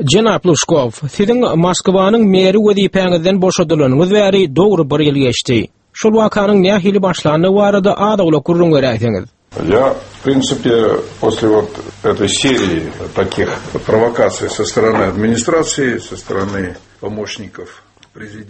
Jenap Lužkow, siziň Moskwanyň meri wezipäňizden boşadylanyňyz bäri dogry bir ýyl geçdi. Şol wakanyň nähili başlandygy barada az-owlak gürrüň beräýseňiz. Я, в принципе, после вот этой серии таких провокаций со стороны администрации, со стороны помощников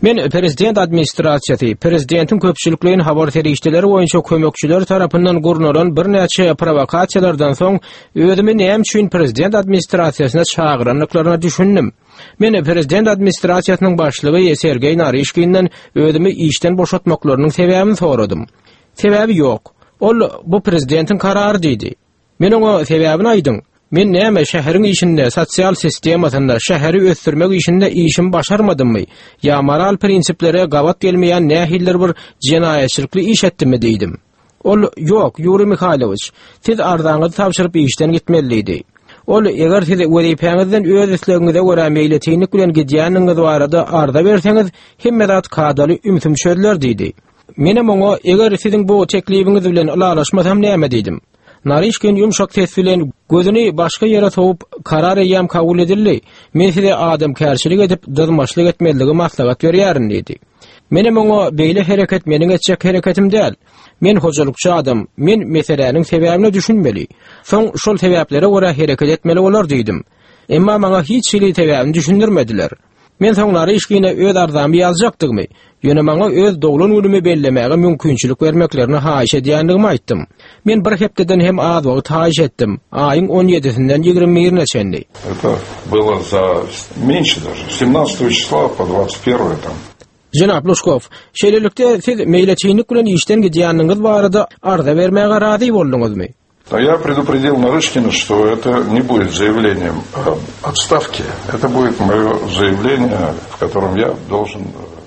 Men prezident administrasiýasy, prezidentiň köpçülikleýin habar serişdeleri boýunça kömekçileri tarapyndan gurnalan birnäçe prowokasiýalardan soň özümi näme üçin prezident administrasiýasyna çagyrandyklaryna düşündim. Men prezident administrasiýasynyň başlygy Sergeý Naryşkinden özümi işden boşatmaklarynyň sebäbini soradym. Sebäbi ýok. Ol bu prezidentiň karary diýdi. Men oňa sebäbini aýdyň. Men näme şäheriň işinde, sosial sistemasynda, şäheri ösdürmek işinde işimi başarmadymmy? Ýa moral prinsiplere gabat gelmeýän nähilidir bir jenaýatçylykly iş etdimmi diýdim. Ol, Ýok, Ýuriý Mihailowiç, siz arzaňyzy tabşyryp işden gitmeli diýdi. Ol, Eger siz wezipäňizden öz islegiňize görä meýletinlik bilen gidýändigiňiz barada arza berseňiz, hemme zat kadaly ümsüm çözüler diýdi. Menem oňa, Eger siziň bu teklibiňiz bilen ylalaşmasam näme diýdim. Naryşkin ýumşak ses bilen, gözüni başga ýere sowup, Karar eýýäm kabul edildi. Men size adamkärçilik edip, dyzmaçlyk etmezligi maslahat berýärin diýdi. Menem oňa, Beýle hereket meniň etjek hereketim däl. Men hojalykçy adam, men meseläniň sebäbine düşünmeli. Soň şol sebäplere görä hereket etmeli bolar diýdim. Emma maňa hiç hili sebäbini düşündirmediler. Men soň Naryşkine öz arzamy ýazjakdygymy, ýöne maňa öz doglan günümi bellemäge mümkinçilik bermeklerini haýyş edýändigimi aýtdym. Men bir hepdeden hem az wagt haýyş etdim, aýyň on ýedisinden ýigrimi birine çenli. Это было за меньше даже, с семнадцатого числа по двадцать первое там. Jenap Lužkow, şeýlelikde, siz meýletinlik bilen işden gidýändigiňiz barada arza bermäge razy bolduňyzmy? Но я предупредил Нарышкина, что это не будет заявлением об отставке, это будет мое заявление, в котором я должен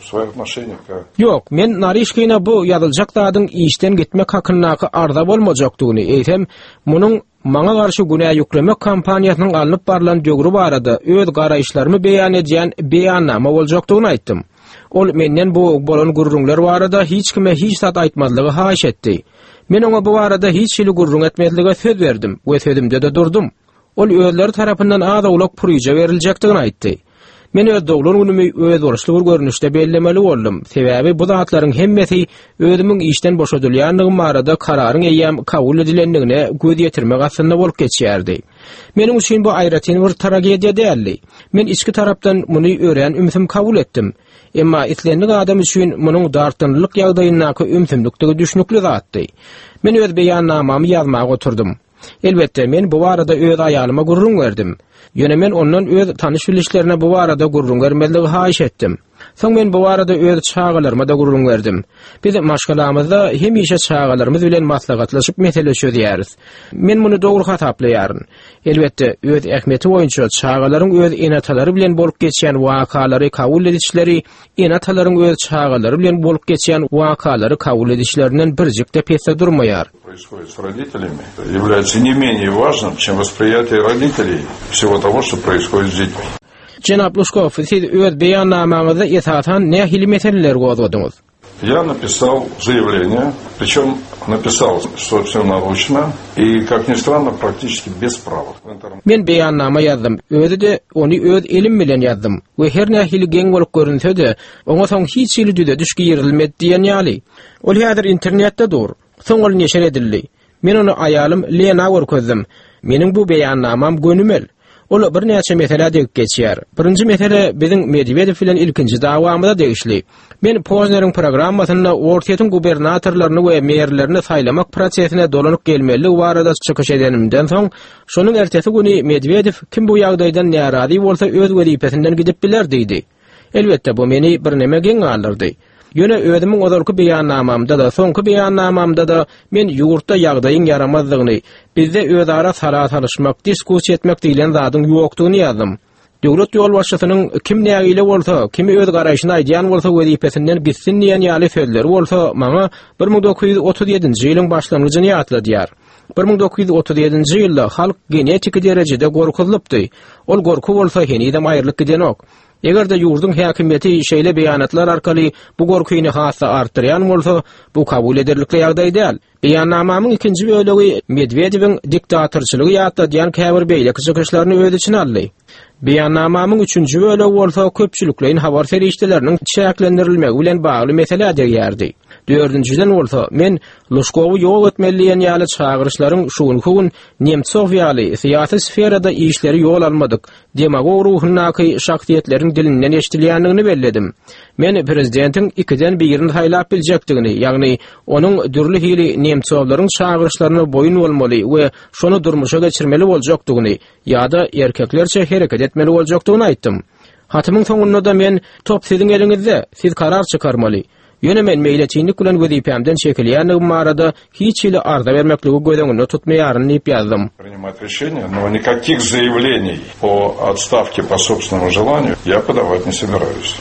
свое отношение к... Ýok, men Naryşkina bu ýazyljak zadyň işden gitmek hakyndaky arza bolmajakdygyny, eýsem, munuň maňa garşy günä ýüklemek kampaniýasynyň alnyp barlan döwri barada öz garaýyşlarymy beýan edýän beýannama boljakdygyny aýtdym. Ol menden bu bolan gürrüňler barada hiç kime hiç zat aýtmazlygy haýyş etdi. Men oňa bu barada hiç hili gürrüň etmezlige söz berdim we sözümde-de durdum. Ol özleri tarapyndan az-owlak puryja beriljekdigini aýtdy. Men öz doglan günümi özboluşly bir görnüşde bellemeli boldum, sebäbi bu zatlaryň hemmesi özümiň işden boşadylýandygym barada kararyň eýýäm kabul edilendigine göz ýetirmek astynda bolup geçýärdi. Meniň üçin bu aýratyn bir tragediýa däldi. Men içki tarapdan muny örän ümsüm kabul etdim. Emma islendik adam üçin munuň dartgynlylyk ýagdaýyndaky ümsümlikdigi düşnükli zatdy. Men öz beýannamamy ýazmaga oturdym. Elbetde, men bu barada öz aýalyma gürrüň berdim. Ýöne men ondan öz tanyş-bilişlerine bu barada gürrüň bermezligi haýyş etdim. Soň men bu barada öz çagalaryma-da gürrüň berdim. Biz maşgalamyzda hemişe çagalarymyz bilen maslahatlaşyp mesele çözýäris. Men muny dogry hasaplaýaryn. Elbetde, öz ähmiýeti boýunça çagalaryň öz ene-atalary bilen bolup geçýän wakalary kabul edişleri ene-atalaryň öz çagalary bilen bolup geçýän wakalary kabul edişlerinden birjik-de pesde durmaýar. Происходит с родителями, является не менее важным, чем восприятие родителей всего того, что происходит с детьми. Jenap Lužkow, siz öz beýannamaňyzda esasan nähili meseleleri gozgadyňyz? Я написал заявление, причем написал собственноручно и, как ни странно, практически без правок. Men beýannama ýazdym, özi-de ony öz elim bilen ýazdym we her nähili geň bolup görünse-de, oňa soň hiç hili düzediş girizilmedi diýen ýaly. Ol häzir internetde dur. Soň ol neşir edildi. Men ony aýalym Lena görkezdim. Meniň bu beýannamam gönümel. Ol birnäçe meselä degip geçýär. Birinji mesele biziň Medwedew bilen ilkinji dawamyza degişli. Men Pozneriň programmasynda Orsýetiň gubernatorlaryny we merlerini saýlamak prosesine dolanyp gelmelidigi barada çykyş edenimden soň, şonuň ertesi güni Medwedew kim bu ýagdaýdan närazy bolsa öz wezipesinden gidip biler diýdi. Elbetde, bu meni birneme geň galdyrdy. Ýöne özümiň ozalky beýannamamda-da, soňky beýannamamda-da men ýurtda ýagdaýyň ýaramazdygyny, bizde özara sala salyşmak, diskussiýa etmek diýlen zadyň ýokdugyny ýazdym. Döwlet ýolbaşçysynyň kim nägile bolsa, kim öz garaýşyny aýdýan bolsa wezipesinden gitsin diýen ýaly sözleri bolsa maňa 1937-nji ýylyň başlangyjyny ýatladýar. 1937-nji ýylda halk genetiki derejede gorkuzylypdy. Ol gorky bolsa henizem aýrylyp gidenok. Eger-de ýurduň häkimiýeti şeýle beýanatlar arkaly bu gorkyny has-da artdyrýan bolsa, bu kabul ederlikli ýagdaý däl. Beýannamamyň ikinji bölegi Medwedewiň diktatorçylygy ýatladýan käbir beýleki çykyşlaryny öz içine aldy. Beýannamamyň üçünji bölegi bolsa köpçülikleýin habar serişdeleriniň çäklendirilmegi bilen bagly meselä degýärdi. Dördünjiden bolsa, men Lužkowy ýok etmeli diýen ýaly çagyryşlaryň şu günki gün Nemtsow ýaly syýasy sferada işleri ýol almadyk, demagog ruhundaky şahsyýetleriň dilinden eşidilýändigini belledim. Men prezidentiň ikiden birini saýlap biljekdigini, ýagny onuň dürli hili Nemtsowlaryň çagyryşlaryna boýun bolmaly we şony durmuşa geçirmeli boljakdygyny ýa-da erkeklerçe hereket etmeli boljakdygyny aýtdym. Hatymyň soňunda-da men Top siziň eliňizde, siz karar çykarmaly. Ýöne men meýletinlik bilen wezipämden çekilýändigim barada hiç hili arza bermekligi göz öňünde tutmaýaryn diýip ýazdym. Принимать решение, но никаких заявлений о отставке по собственному желанию я подавать не собираюсь.